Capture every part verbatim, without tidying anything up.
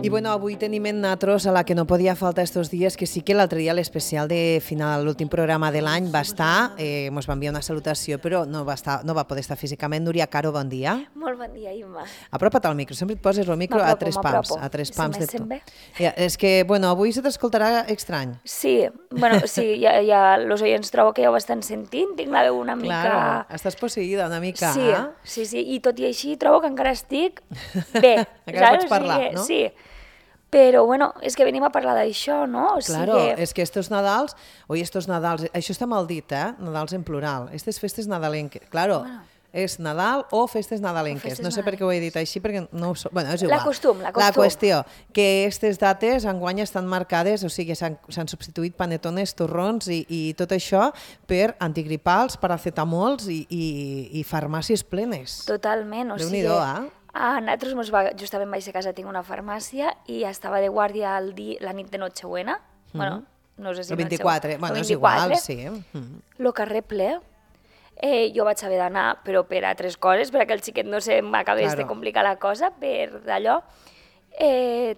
I bueno, avui tenim en Natros a la que no podia faltar estos dies, que sí que l'altre dia l'especial de final, l'últim programa de l'any va estar, eh, ens va enviar una salutació, però no va, estar, no va poder estar físicament. Núria Caro, bon dia. Molt bon dia, Imma. Apropa't al micro, sempre et poses el micro a tres pams. A tres pams de tot. Ja, és que, bueno, avui se t'escoltarà estrany. Sí, bueno, sí, ja, ja los oients trobo que ja ho estan sentint, tinc la veu una mica... Claro, estàs posseïda una mica, sí, eh? Sí, sí, i tot i així trobo que encara estic bé. Encara pots parlar, no? Sí. Però, bueno, és que venim a parlar d'això, no? O claro, sigui que... és que estos Nadals, oi, estos Nadals, això està mal dit, eh? Nadals en plural, aquestes festes nadalenques, claro, bueno. És Nadal o festes nadalenques, o festes no sé per què ho he dit així, perquè no ho so... bueno, és igual. La costum, la costum. La qüestió, que aquestes dates enguany estan marcades, o sigui, s'han substituït panetones, torrons i, i tot això per antigripals, paracetamols i, i, i farmàcies plenes. Totalment, o sigui... Déu-n'hi-do, eh? A nosaltres mos va, justament vaig a casa, tinc una farmàcia i estava de guàrdia el di, la nit de Nochebuena, mm-hmm. bueno, no sé si el vint-i-quatre, bueno, és igual, sí. Mm-hmm. Lo carrer ple, eh, jo vaig haver d'anar, però per a tres coses, perquè el xiquet no se m'acabés claro. de complicar la cosa, per d'allò. Eh,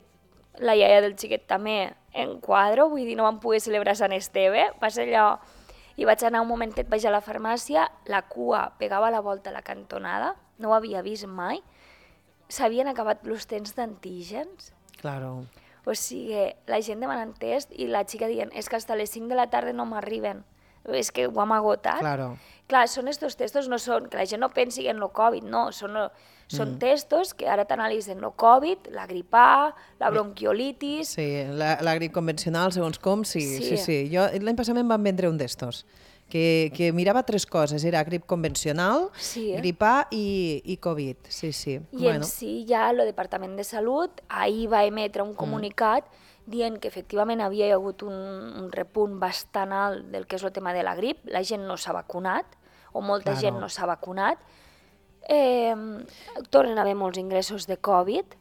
la iaia del xiquet també en quadro, vull dir, no vam poder celebrar Sant Esteve, va ser allò... I vaig anar un momentet, vaig a la farmàcia, la cua pegava la volta a la cantonada, no ho havia vist mai, s'havien acabat els temps d'antígens. Claro. O sigui, la gent demanant test i la xica dient és que fins a les cinc de la tarda no m'arriben. És que ho hem agotat. Claro. Clar, són estos testos, no són, que la gent no pensi en el Covid, no, són, són mm. testos que ara t'analitzen el Covid, la grip A, la bronquiolitis... Sí, la, la grip convencional, segons com, sí, sí, sí. sí. Jo l'any passat em van vendre un d'estos. Que, que mirava tres coses, era grip convencional, sí, eh? grip A i, i Covid, sí, sí. I bueno. en si ja el Departament de Salut ahir va emetre un comunicat mm. dient que efectivament havia hagut un, un repunt bastant alt del que és el tema de la grip, la gent no s'ha vacunat, o molta claro. gent no s'ha vacunat, eh, tornen a haver molts ingressos de Covid,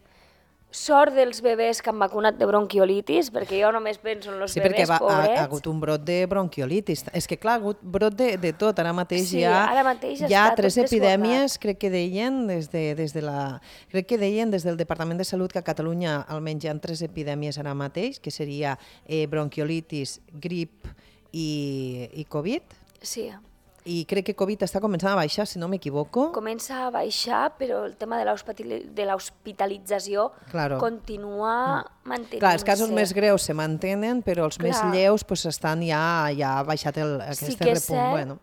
sort dels bebès que han vacunat de bronquiolitis, perquè jo només penso en els sí, bebès va, pobrets. Sí, perquè ha hagut un brot de bronquiolitis. És que clar, ha hagut brot de, de tot. Ara mateix sí, hi ha, ara mateix hi ha tres tot epidèmies, desbordat. crec que deien des, de, des de la, crec que deien des del Departament de Salut que a Catalunya almenys hi ha tres epidèmies ara mateix, que seria eh, bronquiolitis, grip i, i Covid. Sí. I crec que Covid està començant a baixar, si no m'equivoco. Comença a baixar, però el tema de l'hospitalització claro. continua mm. mantenint-se. Clar, els casos més greus se mantenen, però els Clar. més lleus pues, estan ja, ja ha baixat el, aquest sí que repunt. Cert, bueno.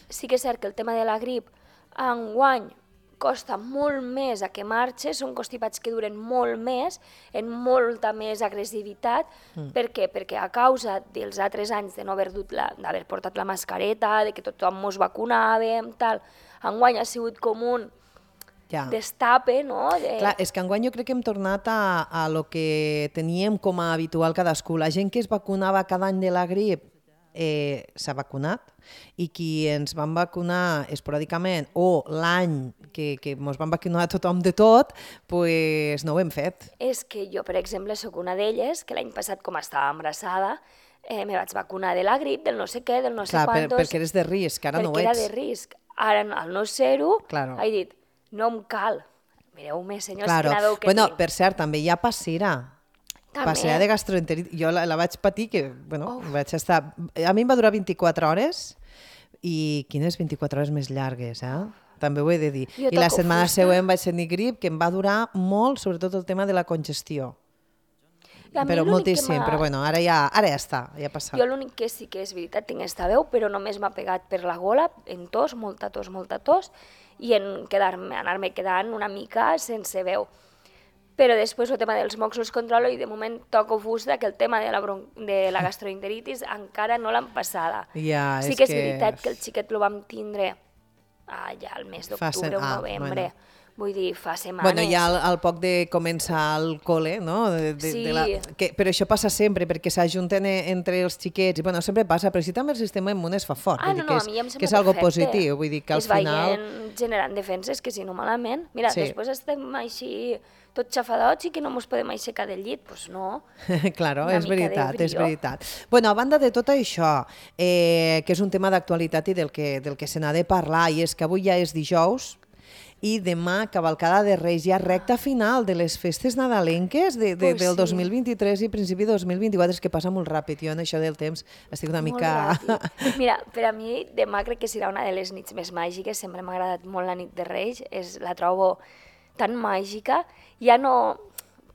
Sí que és cert que el tema de la grip enguany costa molt més a que marxi, són constipats que duren molt més, en molta més agressivitat. Mm. Per què? Perquè a causa dels altres anys de no haver, la, d'haver portat la mascareta, de que tothom mos vacunàvem, tal, enguany ha sigut com un ja. destape, no? De... Clar, és que enguany jo crec que hem tornat a, a lo que teníem com a habitual cadascú. La gent que es vacunava cada any de la grip eh, s'ha vacunat i qui ens van vacunar esporàdicament o l'any que, que ens van vacunar tothom de tot, pues no ho hem fet. És que jo, per exemple, sóc una d'elles, que l'any passat, com estava embarassada, eh, me vaig vacunar de la grip, del no sé què, del no sé Clar, quantos... Per, perquè eres de risc, ara no ho ets. Perquè era de risc. Ara, al no ser-ho, claro. he dit, no em cal. Mireu-me, senyors, claro. quina veu que bueno, tinc. Per cert, també hi ha passera. Passera de gastroenteritis. Jo la, la vaig patir, que, bueno, oh. vaig estar... A mi em va durar vint-i-quatre hores, i quines vint-i-quatre hores més llargues, eh? També ho he de dir. Jo I la setmana fusta. següent vaig tenir grip, que em va durar molt, sobretot el tema de la congestió. Però moltíssim, però bueno, ara ja, ara ja està, ja ha passat. Jo l'únic que sí que és veritat, tinc esta veu, però només m'ha pegat per la gola, en tos, molta tos, molta tos, i en quedar-me, anar-me quedant una mica sense veu. Però després el tema dels mocs els controlo i de moment toco fusta que el tema de la, bron... de la gastroenteritis encara no l'han passada. Ja, sí és que és que... veritat que el xiquet lo vam tindre ah, ja al mes d'octubre o ah, novembre. Bueno. Vull dir, fa setmanes. Bueno, ja al, al poc de començar el col·le, no? De, de, sí. De la... que, però això passa sempre, perquè s'ajunten entre els xiquets, i bueno, sempre passa, però si també el sistema immune es fa fort, ah, vull no, dir que no, és, a mi em que és algo perfecte. positiu, vull dir que al es final... Es veien generant defenses, que si no malament. Mira, sí. després estem així tots xafadots i que no ens podem aixecar del llit, doncs pues no. Claro, és veritat, és veritat. Bueno, a banda de tot això, eh, que és un tema d'actualitat i del que, del que se n'ha de parlar, i és que avui ja és dijous, i demà, cavalcada de Reis, ja recta final de les festes nadalenques de, de, Pues del sí. dos mil vint-i-tres i principi de dos mil vint-i-quatre, és que passa molt ràpid, jo en això del temps estic una Molt mica... ràpid. Mira, per a mi demà crec que serà una de les nits més màgiques, sempre m'ha agradat molt la nit de Reis, és, la trobo tan màgica, ja no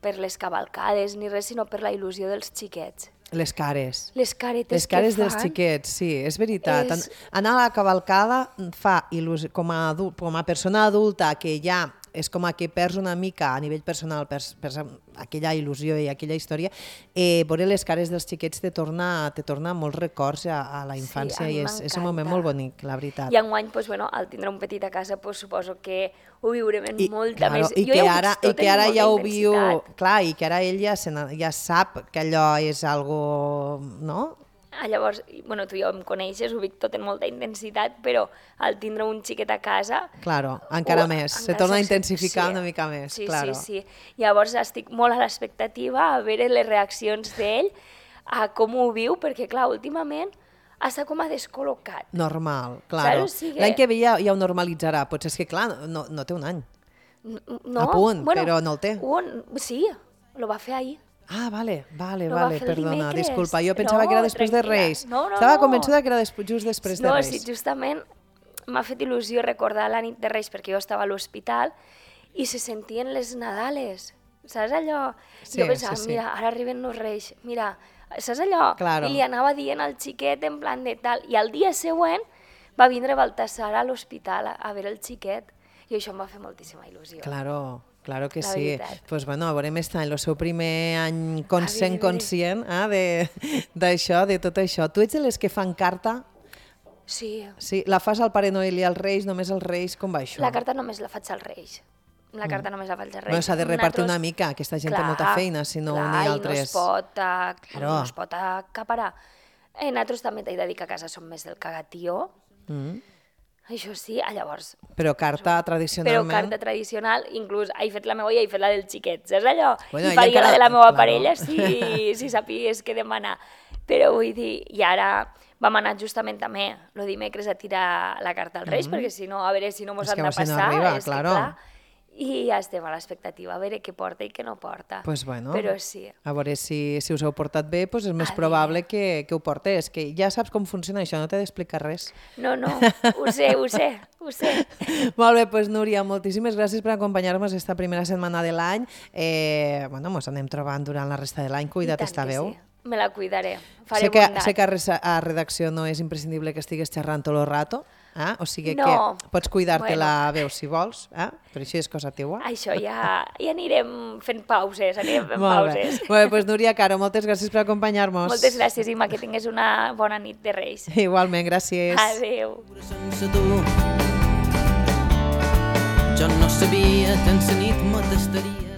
per les cavalcades ni res, sinó per la il·lusió dels xiquets. Les cares. Les caretes Les cares que dels fan. xiquets, sí, és veritat. És- Anar a la cavalcada fa il·lusió, com a, adult, com a persona adulta que ja és com a que perds una mica a nivell personal, perds, perds aquella il·lusió i aquella història, eh, veure les cares dels xiquets te torna, te torna molts records a, a la infància Sí, a mi i és, és un moment m'encanta. molt bonic, la veritat. I enguany, pues, bueno, al tindre un petit a casa, pues, suposo que ho viurem amb I, molta claro, més... i Jo que ja ho ara, veig i tot que amb ara molta ja ho viu, intensitat. clar, i que ara ell ja, se n'ha- ja sap que allò és algo, no? Ah, llavors, i, bueno, tu ja em coneixes, ho vic tot en molta intensitat, però al tindre un xiquet a casa... Claro, encara ho- més, se encara torna a s'ac- intensificar sí. una mica més, sí, claro. Sí, sí, Llavors estic molt a l'expectativa a veure les reaccions d'ell, a com ho viu, perquè, clar, últimament està com a descol·locat. Normal, claro. Saps? O sigui- L'any que ve ja, ja ho normalitzarà, potser és que, clar, no, no té un any. No, A punt, però no el té. Un, sí, lo va fer ahir. Ah, vale, vale, Lo va vale, fer el perdona, dimecres. disculpa, jo pensava No, que era després de tranquil·la. Reis. No, no, Estava no. convençuda que era des, just després de No, Reis. sí, justament m'ha fet il·lusió recordar la nit de Reis perquè jo estava a l'hospital i se sentien les Nadales, saps allò? Sí, jo pensava, sí, sí. mira, ara arriben els Reis, mira, saps allò? Claro. I li anava dient al xiquet en plan de tal. I al dia següent va vindre Baltasar a l'hospital a, a veure el xiquet i això em va fer moltíssima il·lusió. Claro, claro que La sí. veritat. Pues bueno, veurem este any, el seu primer any conscient, A veure. conscient eh, de- d'això, de, de tot això. Tu ets de les que fan carta? Sí, Sí, la fas al Pare Noel i als Reis, només als Reis, com va això? la carta només la faig als Reis. La carta només la faig als Reis. Bueno, s'ha de repartir Nosaltres- una mica, aquesta gent té molta feina, si no clar, unir i altres... no es pot, uh, Claro. no es pot acaparar. Eh, nosaltres també t'he de dir que a casa som més del cagatió. Mm. Això sí, ah, llavors... Però carta Però tradicionalment... carta tradicional, inclús he fet la meva i he fet la del xiquet, saps allò? Bueno, I ella faria encara- la de la meva claro. parella si, si sapies què demanar. Però vull dir, i ara vam anar justament també el dimecres a tirar la carta als Reis, perquè si no, a veure si no mos És que han de si no passar. arriba, és claro. que clar, i ja estem a l'expectativa, a veure què porta i què no porta. Pues bueno, Però sí. a veure si, si us heu portat bé, pues és més A probable que, que ho portes, que ja saps com funciona això, no t'he d'explicar res. No, no, ho sé, ho sé, ho sé. Molt bé, doncs Núria, moltíssimes gràcies per acompanyar-nos esta primera setmana de l'any. Eh, bueno, ens anem trobant durant la resta de l'any, I cuida't tant esta que veu. sí. Me la cuidaré, faré Sé que, bondat. sé que a, res- a redacció no és imprescindible que estigues xerrant tot el rato, eh? O sigui No. que pots cuidar-te Bueno. la veu si vols, eh? però això és cosa teua. Això ja, ja anirem fent pauses, anirem fent Molt bé. pauses. Molt bé, doncs Núria Caro, moltes gràcies per acompanyar-nos. Moltes gràcies, Imma, que tingues una bona nit de Reis. Igualment, gràcies. Adéu. sense tu. Jo no sabia que en sa nit me tastaria.